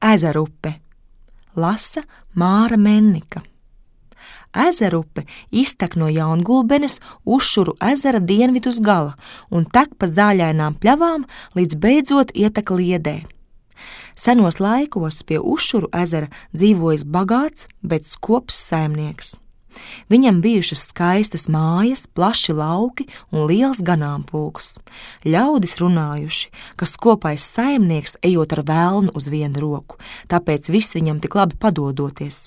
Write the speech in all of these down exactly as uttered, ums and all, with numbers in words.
Ezerupe. Lasa Māra Mennika. Ezerupe iztek no Jaungulbenes Ušuru ezera dienvidus gala un tek pa zāļainām pļavām, līdz beidzot ietek Liedē. Senos laikos pie Ušuru ezera dzīvojis bagāts, bet skops saimnieks. Viņam bijušas skaistas mājas, plaši lauki un liels ganāmpulks. Ļaudis runājuši, ka skopais saimnieks ejot ar velnu uz vienu roku, tāpēc viss viņam tik labi padodoties.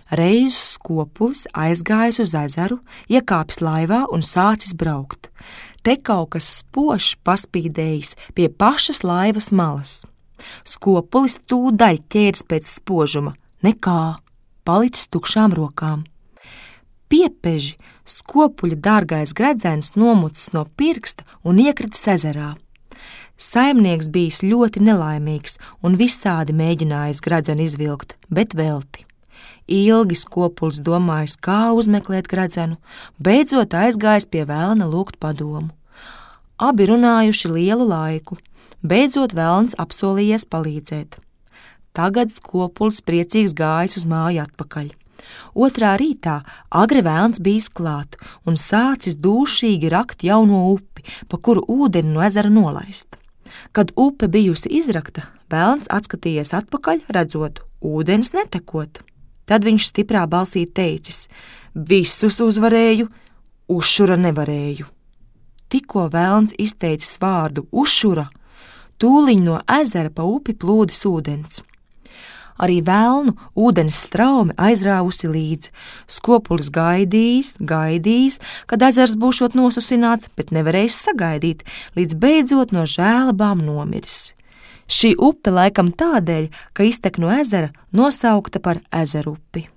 Reiz skopulis aizgājis uz ezeru, iekāpis laivā un sācis braukt. Te kaut kas spožs paspīdējis pie pašas laivas malas. Skopulis tūdaļ ķērs pēc spožuma, nekā, palicis tukšām rokām. Piepeži skopuļa dārgais gredzens nomucis no pirksta un iekritis ezerā. Saimnieks bijis ļoti nelaimīgs un visādi mēģinājis gredzenu izvilkt, bet velti. Ilgi skopulis domājis, kā uzmeklēt gredzenu, beidzot aizgājis pie velna lūgt padomu. Abi runājuši lielu laiku, beidzot velns apsolījies palīdzēt. Tagad skopulis priecīgs gājis uz māju atpakaļ. Otrā rītā agri velns bijis klāt un sācis dūšīgi rakt jauno upi, pa kuru ūdeni no ezera nolaist. Kad upe bijusi izrakta, velns atskatījies atpakaļ, redzot, ūdens netekot. Tad viņš stiprā balsī teicis: visus uzvarēju, Ušura nevarēju. Tikko velns izteicis vārdu Ušura, tūliņ no ezera pa upi plūdis ūdens. Arī velnu ūdens straumi aizrāvusi līdzi. Skopulis gaidījis, gaidījis, kad ezers būšot nosusināts, bet nevarējis sagaidīt, līdz beidzot no žēlabām nomiris. Šī upe laikam tādēļ, ka iztek no ezera, nosaukta par Ezerupi.